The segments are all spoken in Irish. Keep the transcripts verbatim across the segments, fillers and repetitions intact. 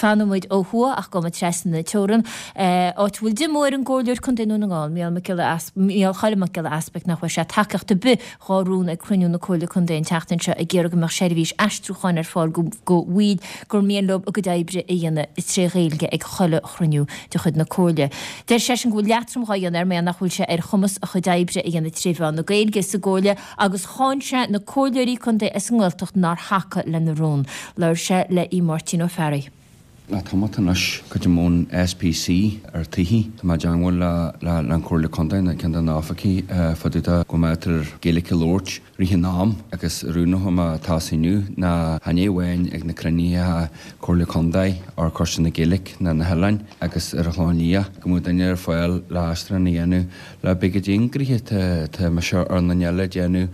Fanfaidh muid ó thuaidh ach gabhfaidh muid trasna na teorann, áit a bhfuil díomá ar an gComhairleoir Contae Dhún na nGall, Mícheál Mac Giolla Mícheál Choilm Mac Giolla Easpaig nach bhfuair sé tacaíocht ar bith dhá rún ag cruinniú na Comhairle Contae an tseachtain seo ag iarraidh go mbeadh seirbhís aistriúcháin ar fáil go bhaill gur mian leo a gcuid oibre a dhéanamh tré Ghaeilge ag chuile chruinniú de chuid na Comhairle. Deir seisean go bhfuil leatrom dhá dhéanamh air mar nach bhfuil sé ar chumas a chuid oibre a dhéanamh tré mheán na Gaeilge sa gComhairle agus cháin sé na comhairleoirí contae as an nGaeltacht nár thacaigh lena rún. Labhair sé le Aodh Máirtín Ó Fearraigh. Le tamalt anois, creidim ón SPC ar tithí, tá mé i dteangmháil le le an Chomhairle Contae nó ceann de na oifigí fá dtaobh de go mbeadh Gaeilge a labhairt rith an am agus rún a mé atá inniu ná chan é amháin ag na cruinnithe Comhairle Contae ar Choiste na Gaeilge ná na hoileáin agus ar an Chlochán Liath go mbeadh duine ar fáil le aistriúchán a dhéanamh le b'fhéidir go dtí tá mise ar an duine eile ag déanamh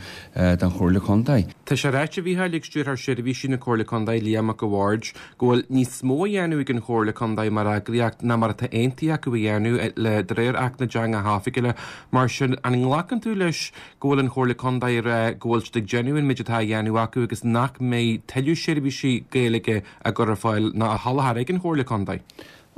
don Chomhairle Contae. Tá sé ráite, a Mhícheáil, ag Stiúrthóir Seirbhísí na Comhairle Contae, Liam Mac a' Bhaird, go bhfuil níos mó a dhéanamh ag an Chomhairle Contae mar eagraíocht ná mar atá aontaithe acu a dhéanamh le de réir Acht na dTeangacha Oifigiúla. Mar sin, an nglacann tú leis go bhfuil an Chomhairle Contae ag rá go bhfuil siad ag déanamh an méid atá á dhéanamh acu agus nach mbeidh tuilleadh seirbhísí Gaeilge á gcur ar fáil ná á sholáthar ag an Chomhairle Contae?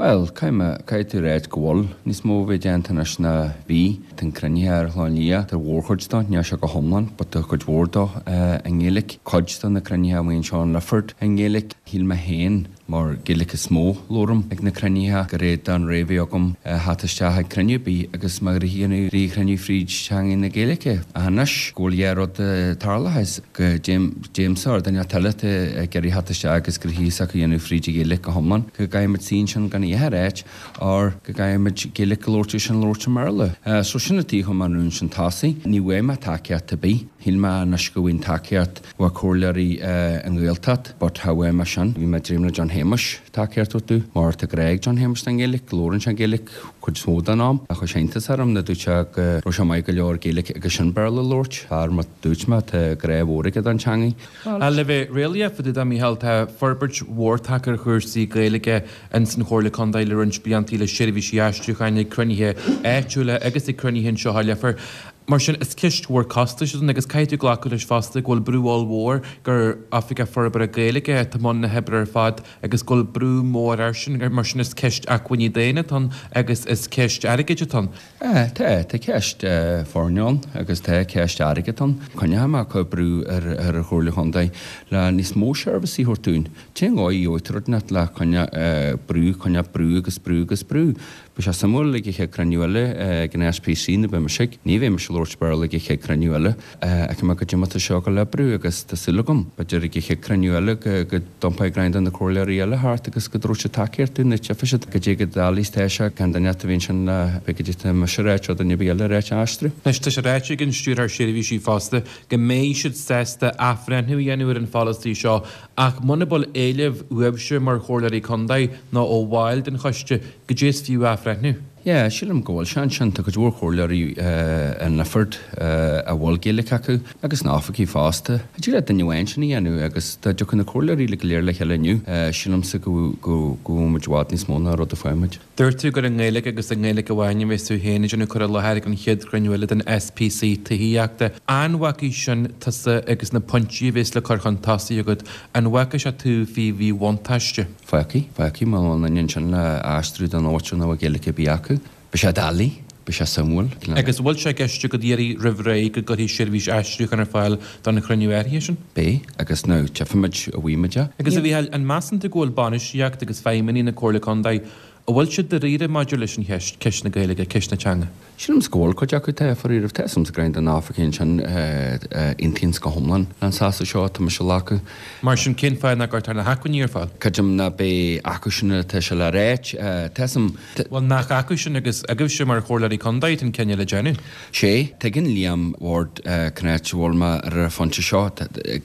Bhuel, caithfidh mé, caithfidh tú ráit go bhfuil níos mó a bheith déanta anois ná bhí. Tá an cruinnithe ar Chlochán Liath, tá mhórchuid dó, níl sé go hiomlán, but tá cuid mhór dó i nGaeilge. Cuid de na cruinnithe amuigh anseo in Lifford i nGaeilge. Shíl mé féin, mar Gaeilge is mó labhraim ag na cruinnithe, go raibh don ré bhí agam theacht isteach ag cruinniú ar bith agus má dhéanamh rí-chruinniú fríd teanga na Gaeilge. Ach anois go bhfuil dhá rud tarlaithe is go dtéimse ar duine eile ag iarraidh theacht isteach agus gnoithí s'acu a dhéanamh fríd an Ghaeilge go hiomlán, go gcaithfimid suí ansin gan a dhath a ráit or go gcaithfimid Gaeilge a labhairt sin labhairt i mBéarla. So sin an tuige a chuir mé an rún sin tosaigh. Ní bhfuair mé tacaíocht ar bith. Shíl mé anois go bhfuil tacaíocht ó comhairleoirí an Ghaeltacht but cha bhfuair mé sin. Bhí mé ag dréim le John Shéamuis tacaíocht a thabhairt mar tá grá ag John Shéamuis don Ghaeilge, labhrann sé Gaeilge cuid is mó den am. Chuir sé iontas orm nuair dúirt sé go raibh sé maith go leor Gaeilge agus sin Béarla a labhairt. Fear mar dúirt mé tá grá mhór aige don teangaidh. Ach le bheith réalaíoch fá dtaobh de, Mícheál, tá forbairt mhór tagtha ar chúrsaí Gaeilge ins an Chomhairle Contae le roinnt blianta le seirbhísí aistriúcháin ag cruinnithe áitiúla agus ag cruinnithe anseo i Leifear. Mar sin, is ceist mhór costais atá ann agus caithfidh tú glacadh leis fosta go bhfuil brú ollmhór gur Oifigeach Forbartha Gaeilge atá i mbun na hoibre ar fad agus go bhfuil brú mór air sin. Mar sin, is ceist acmhainní daonna atá ann agus is ceist airgid atá ann. Tá, tá ceist foirne ann agus tá ceist airgid ann. Coinneoidh mé ag cur brú ar ar an Chomhairle Chontae le níos mó seirbhísí a thabhairt dúinn. Cén dhóigh a gheobhaidh tú rud inteacht le coinneáil brú, coinneáil brú agus brú agus brú. Beidh sé suimiúil ag an chéad cruinniú eile ag an SPC nuair beidh mise ag, ní bheidh mise ag labhairt Béarla ag an chéad cruinniú eile, fheicfidh mé goidé mar atá seo ag dul oibriú agus tá súil agam, b'fhéidir ag an chéad cruinniú eile go go dtiompóidh roinnt de na comhairleoirí eile thart agus go dtabharfaidh siad tacaíocht dúinn nó tchífidh siad goidé chomh doiligh is atá sé gan duine a bhí ansin le bheith goidé tá mise a ráit nó duine ar bith eile a ráit a aistriú. Anois tá sé ráite ag an Stiúrthóir Seirbhísí fosta go mbeidh siad sásta athbhreithniú a dhéanamh ar an pholasaí seo ach muna bhfuil éileamh uaibhse mar chomhairleoirí contae nó ó bhaill den choiste, Goidé is fiú athbhreithniú? Yeah, sílim go bhfuil sé ansin. Tá cuid mhór comhairleoirí in Lifford a bhfuil Gaeilge acu agus na oifigigh fosta. Thig le duine amháin sin a dhéanamh agus dá dtiocfadh na comhairleoirí uilig go léir le chéile inniu, sílimse go bhfuil muid i bhfad níos mó ná rud a fuair muid. Dúirt tú gur i nGaeilge agus i nGaeilge amháin a bheas tú féin ag déanamh cur i láthair ag an chéad chruinniú eile den SPC Tithíochta. An bhfágfaidh sin tusa agus na pointí a bheas le cur chun tosaigh agat, an bhfágfaidh sé tú faoi mhíbhuntáiste? Fágfaidh, fágfaidh, má bhfuil duine ansin le aistriú don áit nach bhfuil Gaeilge ar bith acu. Beidh sé doiligh, beidh sé suimiúil. Agus an bhfuil sé i gceist agat iarraidh roimh ré go gcuirfí seirbhís aistriúcháin ar fáil don chruinniú áirithe sin? Beidh, agus now tchífimid an bhfaighimid é. Agus a Mhícheáil, an measann tú go bhfuil bainistíocht agus feidhmeannaigh na Comhairle Contae, an bhfuil siad dáiríre maidir leis an cheist, ceist na Gaeilge, ceist na teanga? Sílim go bhfuil cuid acu tá faraor. Tá 'fhios a'm go roinnt de na oifigigh ansin a aontaíonns go hiomlán leis an seasamh seo atá mise a ghlacadh. Mar sin, cén fáth nach gcuirtear na hacmhainní ar fáil? Creidim ná beidh acu sin atá sé le ráit. Tá 'fhios a'm. Bhuel, nach acu sin agus agaibhse mar chomhairleoirí contae atá an cinneadh le déanamh? Sé, tuigeann Liam Ward cén áit a bhfuil mé ar an phointe seo.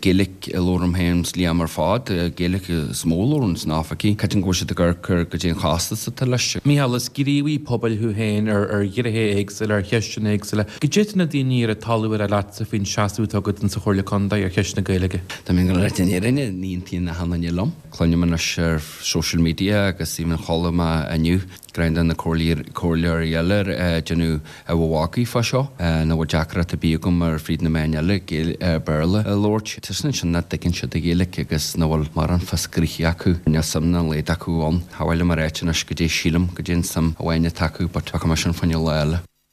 Gaeilge a labhraím féin 's Liam ar fad, Gaeilge is mó a labhrann sna oifigí. Creidim go bhfuil siad ag amharc ar goidé an chostas atá leis. Mícheál, is gníomhaí pobail thú féin ar ar ghnéithe éagsúla, ar cheisteanna éagsúla. Goidé tá na daoine ar an talamh ag rá leatsa faoin seasamh atá agat insa Chomhairle Contae ar cheist na Gaeilge? Tá mé ag dul a ráit an fhírinne, ní aontaíonn achan duine liom. Cluinim anois ar social media agus even chuala mé inniu dream de na comhairleoirí eile ag déanamh a mhagaidh fá seo, nach bhfuil deacracht ar bith agam ar fríd na meáin eile Béarla a labhairt. Tá sin ansin nach dtuigeann siad an Ghaeilge agus nach bhfuil mórán fios gnoithe acu. Níl suim dá laghad acu ann. Cha mhaith liom a ráit anois goidé sílim goidé an suim amháin atá acu but fágfaidh mé sin fá choinne lá eile.